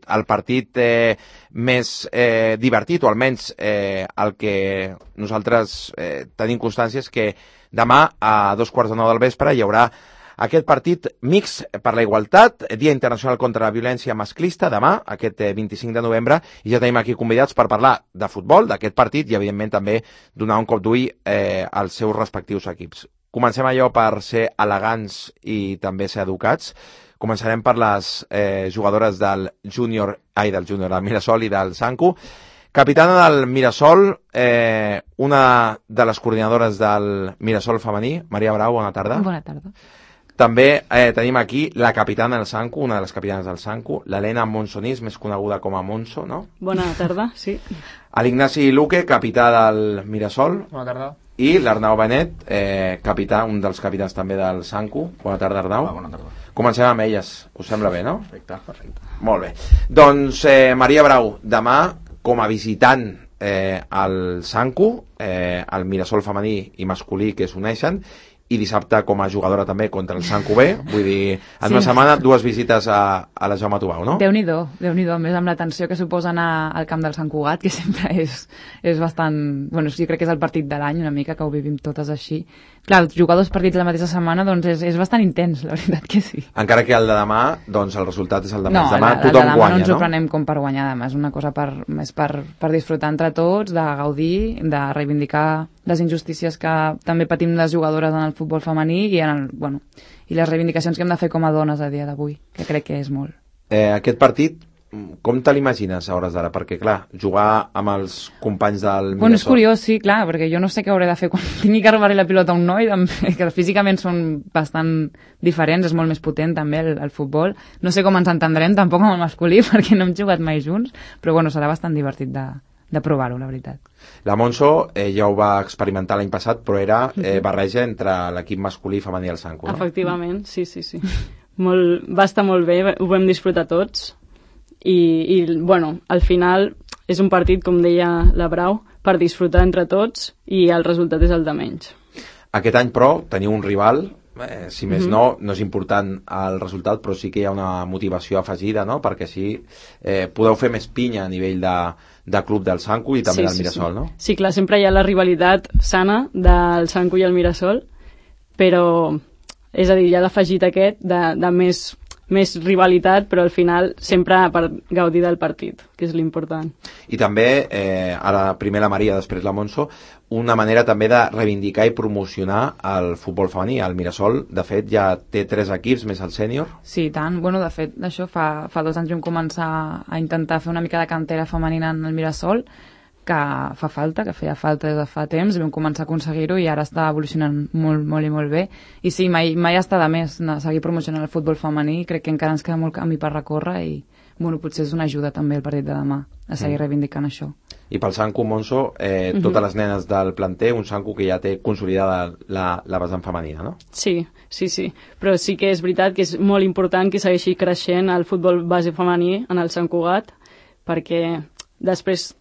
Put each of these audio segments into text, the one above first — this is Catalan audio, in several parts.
el partit més divertit, o almenys el que nosaltres tenim constància és que demà a 2:15 del vespre hi haurà aquest partit mixt per la igualtat, Dia Internacional contra la Violència Masclista, demà, aquest 25 de novembre, i ja tenim aquí convidats per parlar de futbol, d'aquest partit, i evidentment també donar un cop d'ull als seus respectius equips. Comencem allò per ser elegants i també ser educats. Començarem per les jugadores del Mirasol i del Sanku. Capitana del Mirasol, una de les coordinadores del Mirasol femení, Maria Brau, bona tarda. Bona tarda. També tenim aquí la capitana del Sanku, una de les capitanes del Sanku, l'Helena Monsonís, més coneguda com a Monso, no? Bona tarda, sí. L'Ignasi Luque, capità del Mirasol. Bona tarda. I l'Arnau Benet, capità, un dels capitans també del Sanku. Bona tarda, Arnau. Bona tarda. Comencem amb elles, us sembla bé, no? Perfecte. Molt bé. Doncs Maria Brau, demà, com a visitant al Sanku, el Mirasol femení i masculí que s'uneixen, i dissabte com a jugadora també contra el Sanku B, vull dir, en una setmana dues visites a la Jaume Tubau, no? Déu-n'hi-do, a més amb l'atenció que suposa anar al camp del Sant Cugat, que sempre és bastant... Bueno, jo crec que és el partit de l'any una mica, que ho vivim totes així. Clar, jugar dos partits la mateixa setmana doncs és bastant intens, la veritat que sí. Encara que el de demà, doncs el resultat és el de demà. No, demà el de tothom demà guanya, no ens ho no? prenem com per guanyar, demà és una cosa més per disfrutar entre tots, de gaudir, de reivindicar les injustícies que també patim les jugadores en el futbol femení i i les reivindicacions que hem de fer com a dones a dia d'avui, que crec que és molt. Aquest partit, com te l'imagines a hores d'ara? Perquè, clar, jugar amb els companys del Mirasol... Bueno, és curiós, sí, clar, perquè jo no sé què hauré de fer quan tingui que robar-li la pilota a un noi, que físicament són bastant diferents, és molt més potent també el futbol. No sé com ens entendrem tampoc amb el masculí, perquè no hem jugat mai junts, però bueno, serà bastant divertit de provar-ho, la veritat. La Monso ja ho va experimentar l'any passat, però era barreja entre l'equip masculí i femení del Sanku, no? Efectivament, sí. Va estar molt bé, ho vam disfrutar tots i bueno, al final és un partit, com deia la Brau, per disfrutar entre tots i el resultat és el de menys. Aquest any, però, teniu un rival, si més no és important el resultat, però sí que hi ha una motivació afegida, no? Perquè així podeu fer més pinya a nivell de club del Sanku i també del Mirasol, no? Sí, clar, sempre hi ha la rivalitat sana del Sanku i el Mirasol, però, és a dir, hi ha l'afegit aquest de més rivalitat, però al final sempre per gaudir del partit, que és l'important. I també, ara primer la Maria, després la Monso, una manera també de reivindicar i promocionar el futbol femení. El Mirasol, de fet, ja té 3 equips més el sènior. Sí, tant. Bueno, de fet, això fa 2 anys vam començar a intentar fer una mica de cantera femenina en el Mirasol, que feia falta des de fa temps, vam començar a aconseguir-ho i ara està evolucionant molt i molt bé. I sí, mai està de més seguir promocionant el futbol femení, crec que encara ens queda molt camí per recórrer i bueno, potser és una ajuda també el partit de demà a seguir reivindicant això. I pel Sanku, Monso, totes les nenes del planter, un Sanku que ja té consolidada la vessant femenina, no? Sí, però sí que és veritat que és molt important que segueixi creixent el futbol base femení en el Sant Cugat, perquè després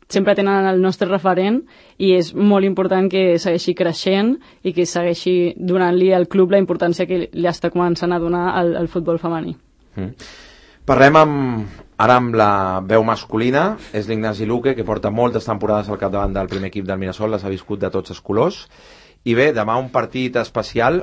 sempre tenen el nostre referent i és molt important que segueixi creixent i que segueixi donant-li al club la importància que li està començant a donar al futbol femení. Parlem ara amb la veu masculina, és l'Ignasi Luque, que porta moltes temporades al capdavant del primer equip del Mirasol, les ha viscut de tots els colors, i bé, demà un partit especial.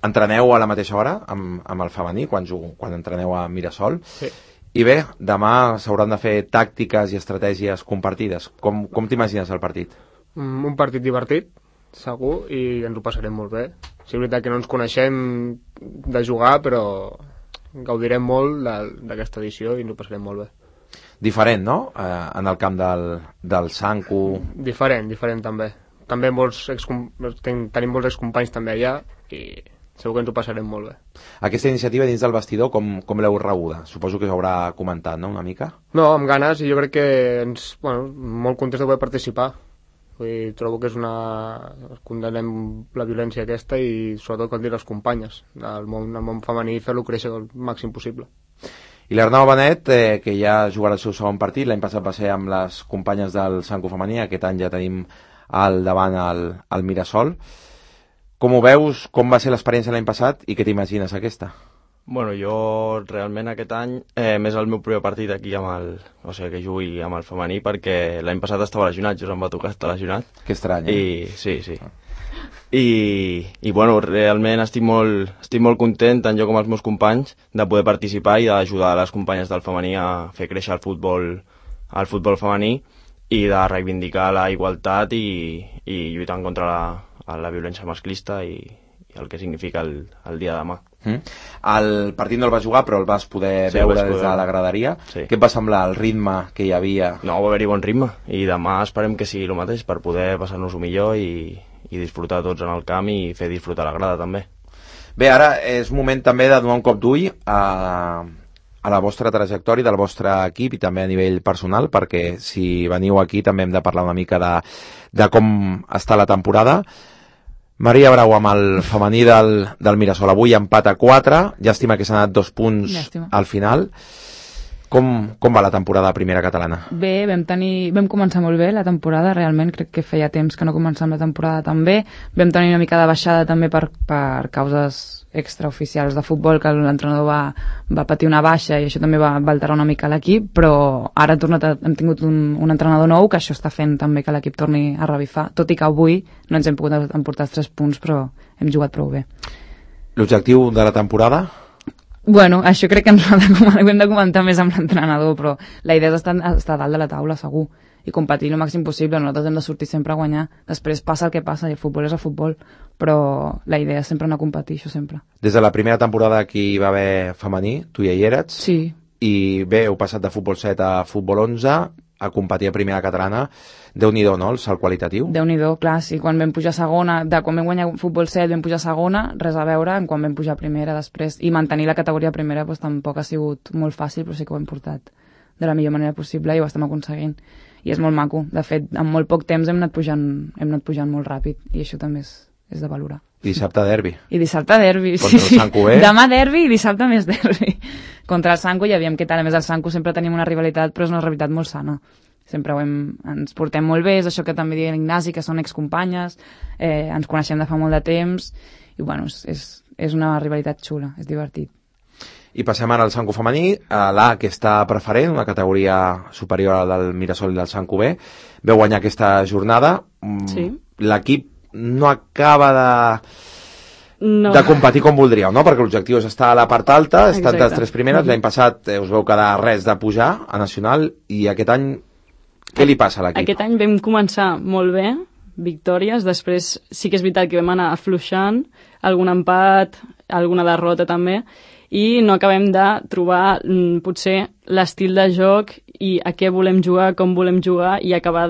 Entreneu a la mateixa hora amb el femení, quan entreneu a Mirasol. Sí. I bé, demà s'hauran de fer tàctiques i estratègies compartides. Com t'imagines el partit? Un partit divertit, segur, i ens ho passarem molt bé. Sí, és veritat que no ens coneixem de jugar, però gaudirem molt d'aquesta edició i ens ho passarem molt bé. Diferent, no? En el camp del Sanku... Diferent també. També tenim molts excompanys també allà i segur que ens ho passarem molt bé. Aquesta iniciativa dins del vestidor, com l'heu rebuda? Suposo que s'haurà comentat, no?, una mica? No, amb ganes, i jo crec que molt contents de poder participar. Trobo que condenem la violència aquesta i sobretot com dir les companyes el món femení, fer-lo créixer el màxim possible. I l'Arnau Benet, que ja jugarà el seu segon partit, l'any passat va ser amb les companyes del Sanku femení, aquest any ja tenim al davant el Mirasol. Com ho veus? Com va ser l'experiència l'any passat i què t'imagines aquesta? Bueno, jo realment aquest any més el meu primer partit aquí o sigui, que jugui amb el femení, perquè l'any passat estava lesionat, just em va tocar estar lesionat. Que estrany, Sí. I bueno, realment estic molt content, tant jo com els meus companys, de poder participar i d'ajudar les companyes del femení a fer créixer el futbol femení i de reivindicar la igualtat i lluitant contra la violència masclista i el que significa el dia de demà. El partit no el vas jugar, però el vas poder veure des de la graderia. Sí. Què et va semblar el ritme que hi havia? No, va haver-hi bon ritme i demà esperem que sigui el mateix per poder passar-nos-ho millor i disfrutar tots en el camp i fer disfrutar la grada també. Bé, ara és moment també de donar un cop d'ull a la vostra trajectòria del vostre equip i també a nivell personal, perquè si veniu aquí també hem de parlar una mica de com està la temporada. Maria Brau amb el femení del Mirasol, avui empat a 4, llàstima que s'han anat 2 punts al final. Com va la temporada primera catalana? Bé, vam començar molt bé la temporada, realment crec que feia temps que no començàvem la temporada tan bé. Vam tenir una mica de baixada també per causes extraoficials de futbol, que l'entrenador va patir una baixa i això també va alterar una mica l'equip, però ara hem tingut un entrenador nou que això està fent també que l'equip torni a revifar, tot i que avui no ens hem pogut emportar els 3 punts, però hem jugat prou bé. L'objectiu de la temporada? Bueno, això crec que ho hem de comentar més amb l'entrenador, però la idea és estar dalt de la taula, segur, i competir el màxim possible. Nosaltres hem de sortir sempre a guanyar. Després passa el que passa, i el futbol és el futbol, però la idea és sempre anar a competir, això sempre. Des de la primera temporada que hi va haver femení, tu ja hi eres. Sí. I bé, heu passat de futbol 7 a futbol 11, a competir a primera catalana. Déu-n'hi-do, no?, el salt qualitatiu. Déu-n'hi-do, clar, sí, quan vam pujar a segona, quan vam guanyar futbol 7 vam pujar a segona, res a veure amb quan vam pujar a primera després, i mantenir la categoria primera doncs, tampoc ha sigut molt fàcil, però sí que ho hem portat de la millor manera possible i ho estem aconseguint, i és molt maco. De fet, en molt poc temps hem anat pujant molt ràpid, i això també és de valorar. I dissabte derbi. I dissabte derbi, sí. Contra el Sanco, Demà derbi i dissabte més derbi. Contra el Sanco, i aviam què tal. A més, el Sanco sempre tenim una rivalitat, però és una rivalitat molt sana. Sempre ens portem molt bé, és això que també diuen l'Ignasi, que són excompanyes, ens coneixem de fa molt de temps, i bueno, és una rivalitat xula, és divertit. I passem ara al Sanco femení, a l'A, que està preferent, una categoria superior a la del Mirasol i del Sanco B. Veu guanyar aquesta jornada. Sí. L'equip no acaba de competir com voldríeu, no? Perquè l'objectiu és estar a la part alta, estar entre les 3 primeres. L'any passat us veu quedar res de pujar a Nacional, i aquest any què li passa a l'equip? Aquest any vam començar molt bé, victòries, després sí que és veritat que vam anar afluixant, algun empat, alguna derrota també, i no acabem de trobar potser l'estil de joc i a què volem jugar, com volem jugar, i acabar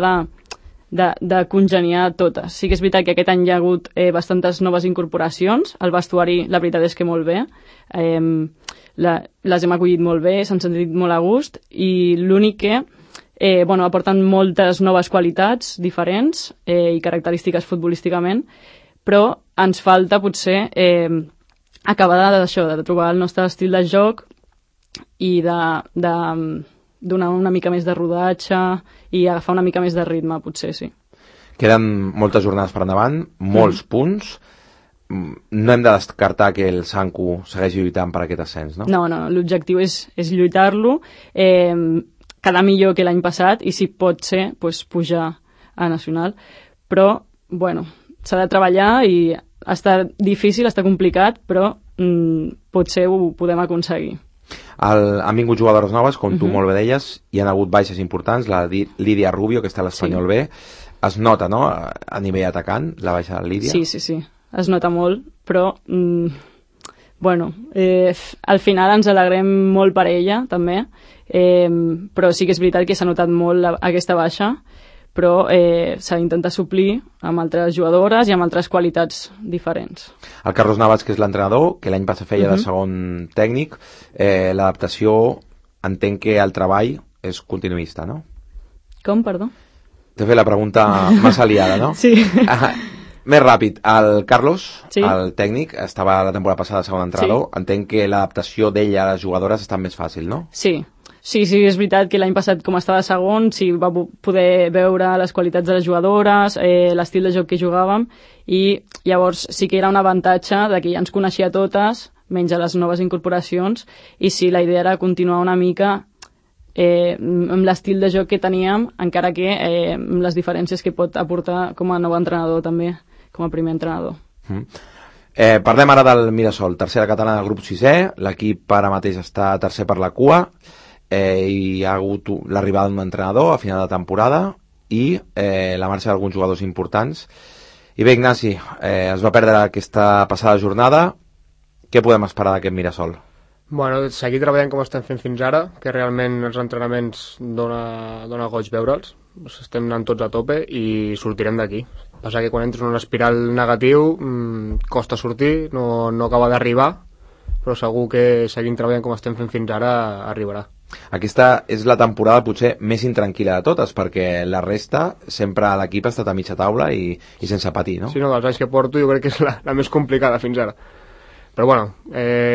de congeniar totes. Sí que és veritat que aquest any hi ha hagut bastantes noves incorporacions, el vestuari la veritat és que molt bé, les hem acollit molt bé, s'han sentit molt a gust, i l'únic que aporten moltes noves qualitats diferents i característiques futbolísticament, però ens falta potser acabar de trobar el nostre estil de joc i de donar una mica més de rodatge i agafar una mica més de ritme, potser, sí. Queden moltes jornades per endavant, molts punts. No hem de descartar que el Sanco segueixi lluitant per aquest ascens, no? No, l'objectiu és lluitar-lo, quedar millor que l'any passat, i si pot ser, pujar a Nacional. Però, s'ha de treballar i està difícil, està complicat, però potser ho podem aconseguir. Han vingut jugadores noves, com tu molt bé deies, hi ha hagut baixes importants, la Lídia Rubio, que està a l'Espanyol B. Es nota, no?, a nivell atacant, la baixa de Lídia? Sí, es nota molt, però al final ens alegrem molt per ella, també, però sí que és veritat que s'ha notat molt aquesta baixa, però s'ha d'intentar suplir amb altres jugadores i amb altres qualitats diferents. El Carlos Navas, que és l'entrenador, que l'any passat feia de segon tècnic, l'adaptació, entenc que el treball és continuista, no? Com, perdó? T'he fet la pregunta massa liada, no? Sí. Més ràpid, el Carlos, sí, el tècnic, estava la temporada passada segon entrenador, sí, entenc que l'adaptació d'ella a les jugadores està més fàcil, no? Sí, és veritat que l'any passat, com estava segon, sí, va poder veure les qualitats de les jugadores, l'estil de joc que jugàvem, i llavors sí que era un avantatge de que ja ens coneixia totes, menys a les noves incorporacions, i sí, la idea era continuar una mica amb l'estil de joc que teníem, encara que amb les diferències que pot aportar com a nou entrenador també, com a primer entrenador. Parlem ara del Mirasol, tercera catalana del grup 6è, l'equip ara mateix està tercer per la cua, hi ha hagut l'arribada d'un entrenador a final de temporada i la marxa d'alguns jugadors importants. I bé, Ignasi, es va perdre aquesta passada jornada. Què podem esperar d'aquest Mirasol? Bueno, seguir treballant com estem fent fins ara, que realment els entrenaments dona goig veure'ls. Estem anant tots a tope i sortirem d'aquí. Passa que quan entres en un espiral negatiu costa sortir, no acaba d'arribar, però segur que seguint treballant com estem fent fins ara arribarà. Aquesta és la temporada potser més intranquil·la de totes, perquè la resta sempre l'equip ha estat a mitja taula i sense patir, no? Sí, no, dels anys que porto jo crec que és la més complicada fins ara. Però bueno,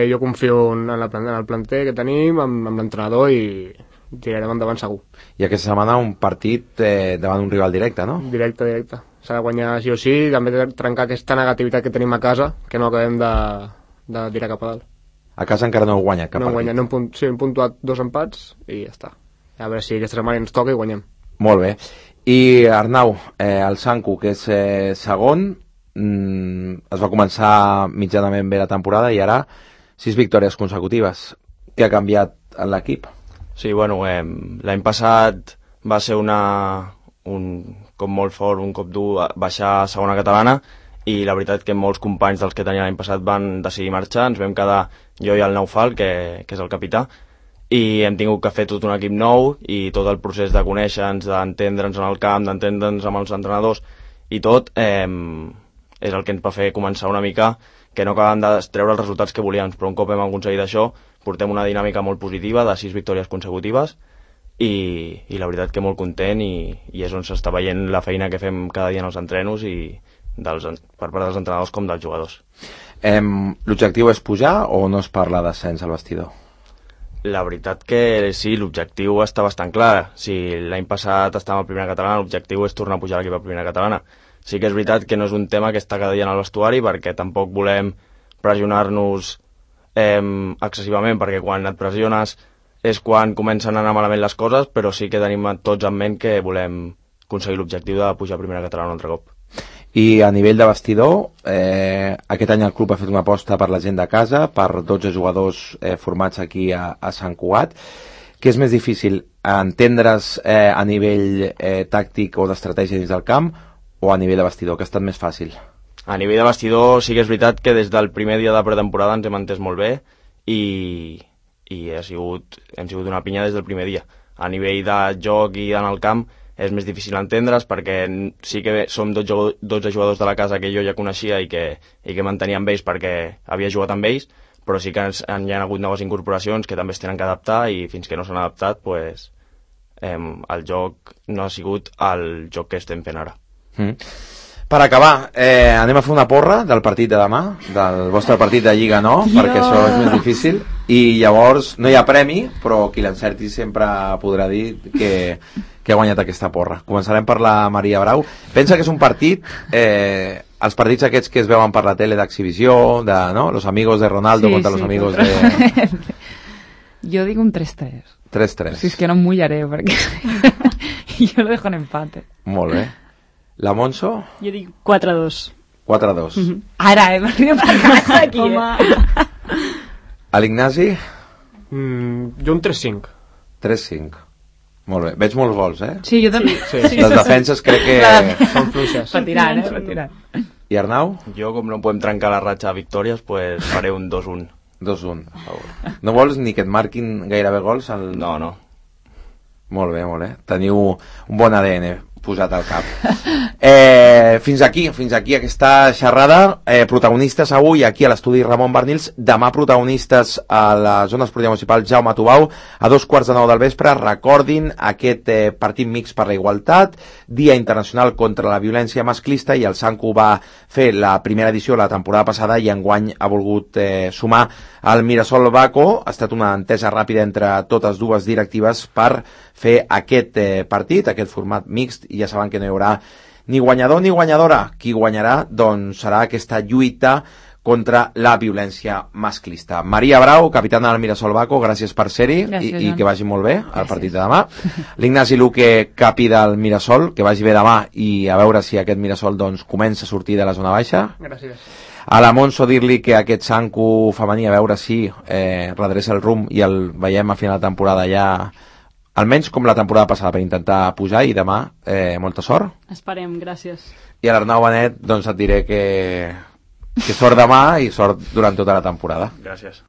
jo confio en el planter que tenim, amb l'entrenador, i tirarem endavant segur. I aquesta setmana un partit davant un rival directe, no? Directe. S'ha de guanyar sí o sí, també trencar aquesta negativitat que tenim a casa, que no acabem de tirar cap a dalt. A casa encara no heu guanyat cap partit. Sí, hem puntuat 2 empats i ja està. A veure si aquesta setmana ens toca i guanyem. Molt bé. I Arnau, el Sanku, que és segon, es va començar mitjanament bé la temporada i ara 6 victòries consecutives. Què ha canviat en l'equip? Sí, bueno, l'any passat va ser un cop molt fort, un cop dur baixar a segona catalana, i la veritat que molts companys dels que tenia l'any passat van decidir marxar. Ens vam quedar jo i el Naufal, que és el capità, i hem tingut que fer tot un equip nou i tot el procés de conèixer-nos, d'entendre'ns en el camp, d'entendre'ns amb els entrenadors i tot, és el que ens va fer començar una mica, que no acabem de treure els resultats que volíem, però un cop hem aconseguit això portem una dinàmica molt positiva de 6 victòries consecutives i la veritat que molt content, i és on s'està veient la feina que fem cada dia en els entrenos i per part dels entrenadors com dels jugadors. L'objectiu és pujar o no es parla d'ascens al vestidor? La veritat que sí, l'objectiu està bastant clar. Si l'any passat estàvem a primera catalana, l'objectiu és tornar a pujar l'equip a primera catalana. Sí que és veritat que no és un tema que està cada dia en el vestuari, perquè tampoc volem pressionar-nos excessivament, perquè quan et pressiones és quan comencen a anar malament les coses, però sí que tenim tots en ment que volem aconseguir l'objectiu de pujar a primera catalana un altre cop. I a nivell de vestidor, aquest any el club ha fet una aposta per la gent de casa, per 12 jugadors formats aquí a Sant Cugat. Què és més difícil, entendre's a nivell tàctic o d'estratègia dins del camp, o a nivell de vestidor, que ha estat més fàcil? A nivell de vestidor sí que és veritat que des del primer dia de pretemporada ens hem entès molt bé i hem sigut una pinya des del primer dia. A nivell de joc i en el camp és més difícil entendre's, perquè sí que som 12 jugadors de la casa que jo ja coneixia i que mantenia amb ells perquè havia jugat amb ells, però sí que hi ha hagut noves incorporacions que també es tenen que adaptar, i fins que no s'han adaptat pues, el joc no ha sigut el joc que estem fent ara. Per acabar, anem a fer una porra del partit de demà, del vostre partit de Lliga, no? Perquè això és més difícil, i llavors no hi ha premi, però qui l'encerti sempre podrà dir que ha guanyat aquesta porra. Començarem per la Maria Brau. Pensa que és un partit, els partits aquests que es veuen per la tele d'exhibició, no? Los amigos de Ronaldo contra los amigos de... Jo dic un 3-3. 3-3. Si és que no em mullaré, perquè jo lo dejo en empate. Molt bé. La Monso? Jo dic 4-2. 4-2. Ara, m'arribo per casa aquí. A l'Ignasi? Jo un 3-5. 3-5. Molt bé. Veig molts gols, eh? Sí, jo també. Sí. Les defenses crec que Són fluixes. Retirant. I Arnau? Jo, com no podem trencar la ratxa de victòries, pues faré un 2-1. 2-1, a favor. No vols ni que et marquin gairebé gols? No. Molt bé. Teniu un bon ADN posat al cap. Fins aquí aquesta xerrada. Protagonistes avui aquí a l'estudi Ramon Barnils, demà protagonistes a la zona esportiva municipal Jaume Tubau a 8:45 del vespre. Recordin aquest partit mixt per la igualtat, Dia Internacional contra la Violència Masclista, i el Sanku va fer la primera edició la temporada passada i enguany ha volgut sumar el Mirasol Baco. Ha estat una entesa ràpida entre totes dues directives per fer aquest partit, aquest format mixt, i ja saben que no hi haurà ni guanyador ni guanyadora. Qui guanyarà doncs serà aquesta lluita contra la violència masclista. Maria Brau, capitana del Mirasol Baco, gràcies per ser-hi i que vagi molt bé el partit de demà. L'Ignasi Luque, capi del Mirasol, que vagi bé demà i a veure si aquest Mirasol doncs, comença a sortir de la zona baixa. Gràcies. A l'Amonso dir-li que aquest Sanku femení a veure si redreça el rumb i el veiem a final de temporada ja almenys com la temporada passada per intentar pujar i demà molta sort. Esperem, gràcies. I a l'Arnau Benet doncs et diré que sort demà i sort durant tota la temporada. Gràcies.